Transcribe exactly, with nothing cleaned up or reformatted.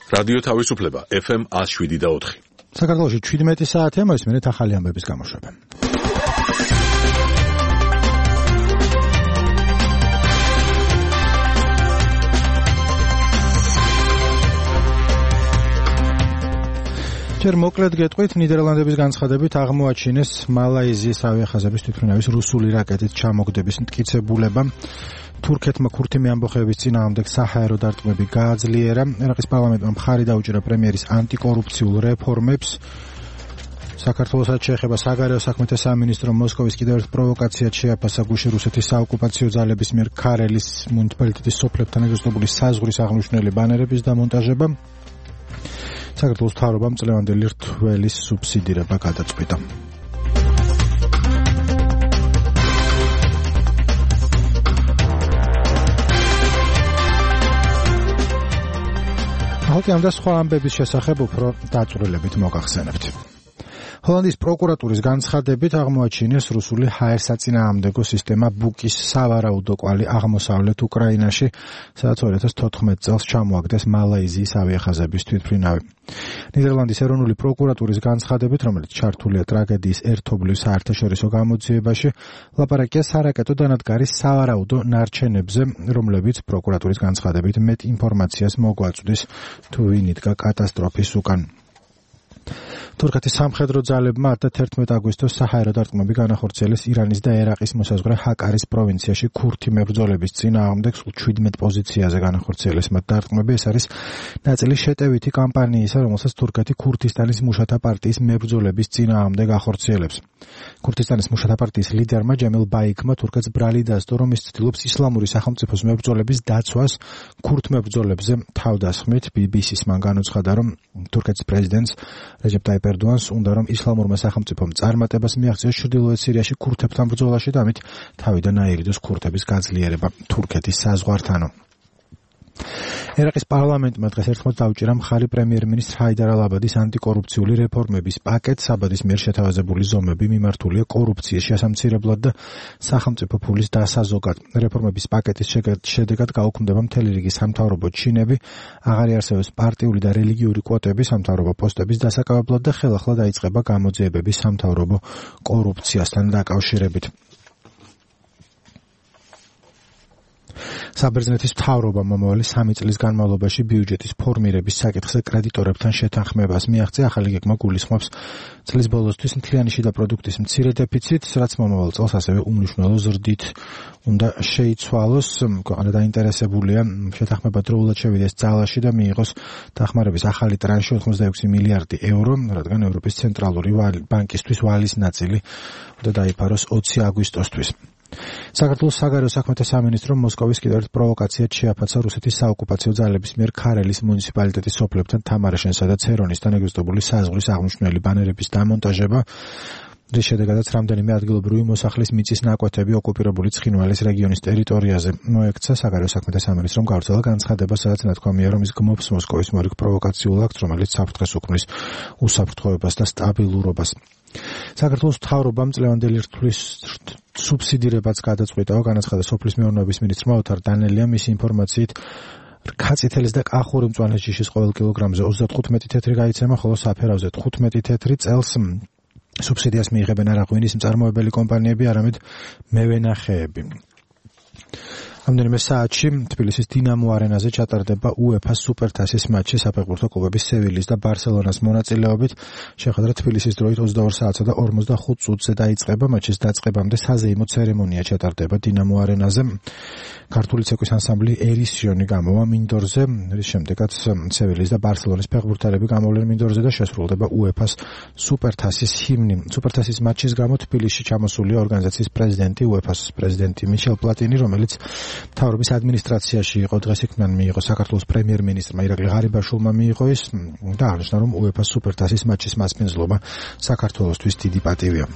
რადიო თავისუფლება ეფ ემ one oh seven და four. საქართველოში შვიდმეტი საათია, მოისმენთ ახალი ამბების გამოშვება. ჯერ მოკლედ გეტყვით, ნიდერლანდების განცხადებით აღმოაჩინეს მალაიზიის ავიახაზების თვითმფრინავის რუსული რაკეტით ჩამოგდების მტკიცებულება. თურქეთმა ქურთიმი ამბოხების წინააღმდეგ საჰაერო დარტყმები გააძლიერა. ერაყის პარლამენტმა მხარი დაუჭირა პრემიერის ანტიკორუფციულ რეფორმებს. საქართველოსაც შეეხება საგარეო საქმეთა სამინისტრო მოსკოვის კიდევ ერთ პროვოკაციად შეაფასა გუშინ რუსეთის საოკუპაციო ძალების მიერ ქარელის მუნიციპალიტეტის სოფლებთან ეკოსტებული საზღვრის აღნიშნული ბანერების დამონტაჟება. საქართველოს მთავრობამ წლევანდელი რთველის სუბსიდირება გადაწყვიტა. ახლა ამ და სხვა ამბების შესახებ უფრო დაწვრილებით მოგახსენებთ. ჰოლანდიის პროკურატურის განცხადებით აღმოაჩინეს რუსული ჰაერსაწინააღმდეგო სისტემა ბუკის სავარაუდო კვალი აღმოსავლეთ უკრაინაში, სადაც two thousand fourteen წელს ჩამოაგდეს მალაიზიის ავიახაზების თვითმფრინავი. ნიდერლანდის ეროვნული პროკურატურის განცხადებით, რომელიც ჩართულია ტრაგედიის ერთობლივ საერთაშორისო გამოძიებაში, ლაპარაკია სარაკეტო დანადგარის სავარაუდო ნარჩენებზე, რომლებიც პროკურატურის განცხადებით მეტ ინფორმაციას მოგვაწვდის თუ ვინ იდგა კატასტროფის უკან. თურქეთის სამხედრო ძალებმა eleventh აგვისტოს საჰაერო დარტყმები განახორციელეს ირანის და ერაყის მოსაზღვრე ჰაკარის პროვინციაში ქურთი მებრძოლების წინააღმდეგ სულ seventeen პოზიციაზე განახორციელეს მათ დარტყმები. ეს არის ნაწილი შეტევითი კამპანიისა, რომელსაც თურქეთი ქურთისტანის მუშათა პარტიის მებრძოლების წინააღმდეგ ახორციელებს. ქურთისტანის მუშათა პარტიის ლიდერმა ჯემილ ბაიქმა თურქეთს ბრალი დასდო, რომ ის ცდილობს ისლამური სახელმწიფოს მებრძოლების დაცვას ქურთ მებრძოლებზე თავდასხმით. ბი ბი სის მან განუცხადა, რომ თურქეთის პრეზიდენტს რეჯეპ ტაიპ ერდოანს უნდა, რომ ისლამურმა სახელმწიფომ წარმატებას მიაღწიოს ჩრდილოეთ სირიაში ქურთებთან ბრძოლაში და ამით თავიდან აირიდოს ქურთების გაძლიერება თურქეთის საზღვართანო. ერაყის პარლამენტმა დღეს ერთხმად დაუჭირა მხარი პრემიერ-მინისტრ ჰაიდარ ალ-აბადის ანტიკორუფციული რეფორმების პაკეტს. აბადის მიერ შეთავაზებული ზომები მიმართულია კორუფციის შესამცირებლად და სახელმწიფო ფულის დასაზოგად. რეფორმების პაკეტის შედეგად გაუქმდება მთელი რიგი სამთავრობო ჩინები, აღარ იარსებებს პარტიული და რელიგიური კვოტები სამთავრობო პოსტების დასაკავებლად და ხელახლა დაიწყება გამოძიებები სამთავრობო კორუფციასთან დაკავშირებით. საბერძნეთის მთავრობამ მომავალი სამი წლის განმავლობაში ბიუჯეტის ფორმირების საკითხზე კრედიტორებთან შეთანხმებას მიაღწია. ახალი გეგმა გულისხმობს წლის ბოლოსთვის მთლიანი შიდა პროდუქტის მცირე დეფიციტს, რაც მომავალ წელს ასევე უმნიშვნელო ზრდით უნდა შეიცვალოს. ქვეყანა დაინტერესებულია შეთანხმება დროულად შევიდეს ძალაში და მიიღოს დახმარების ახალი ტრანში ოცდაექვსი მილიარდი ევრო, რადგან ევროპის ცენტრალური ბანკისთვის ვალის ნაწილი უნდა დაიფაროს ოცი აგვისტოსთვის. საქართველოს საგარეო საქმეთა სამინისტრომ მოსკოვის კიდევ ერთ პროვოკაციად შეაფასა რუსეთის საოკუპაციო ძალების მიერ ქარელის მუნიციპალიტეტის სოფლებთან თამარაშენსა და ცერონისთან ეკოსტებული საზღვრის აღმნიშვნელი ბანერების დამონტაჟება. რის შედეგადაც რამდენიმე ადგილობრივი მოსახლის მიწის ნაკვეთები ოკუპირებული ცხინვალის რეგიონის ტერიტორიაზე მოექცა. საგარეო საქმეთა სამინისტრომ გავრცელა განცხადება, სადაც ნათქვამია, რომ ის გმობს მოსკოვის მორიგ პროვოკაციულ აქტს, რომელიც საფრთხეს უქმნის უსაფრთხოებას და სტაბილურობას. საქართველოს მთავრობამ წლევანდელი რთვლის სუბსიდირებაც გადაწყვიტა. განაცხადა სოფლის მეურნეობის მინისტრმა ოთარ დანელიამ. მისი ინფორმაციით ქაცითელის და კახური მწვანე ჯიშის ყოველ კილოგრამზე ოცდათხუთმეტი თეთრი გაიცემა, ხოლო საფერავზე თხუთმეტი თეთრი. წელს სუბსიდიას მიიღებენ არა ღვინის მწარმოებელი კომპანიები, არამედ მევენახეები. რამდენიმე საათში თბილისის დინამო არენაზე ჩატარდება უეფა-ს სუპერთასის მატჩი საფეხბურთო კლუბების სევილის და ბარსელონას მონაწილეობით. შეხვედრა თბილისის დროით ოცდაორ საათსა და ორმოცდახუთ წუთზე დაიწყება. მატჩის დაწყებამდე საზეიმო ცერემონია ჩატარდება დინამო არენაზე. ქართული ცეკვის ანსამბლი ერისიონი გამოვა მინდორზე, რის შემდეგაც სევილის და ბარსელონის ფეხბურთელები გამოვლენ მინდორზე და შესრულდება უეფა-ს სუპერთასის ჰიმნი. სუპერთასის მატჩის გამო თბილისში ჩამოსულია ორგანიზაციის პრეზიდენტი, უეფა-ს პრეზიდენტი მიშელ პლატინი, რომელიც მთავრობის ადმინისტრაციაში იყო. დღეს იქ მან მიიღო საქართველოს პრემიერ-მინისტრმა ირაკლი ღარიბაშვილმა მიიღო ის და აღნიშნა, რომ უეფა-ს სუპერთასის მატჩის მასპინძლობა საქართველოსთვის დიდი პატივია.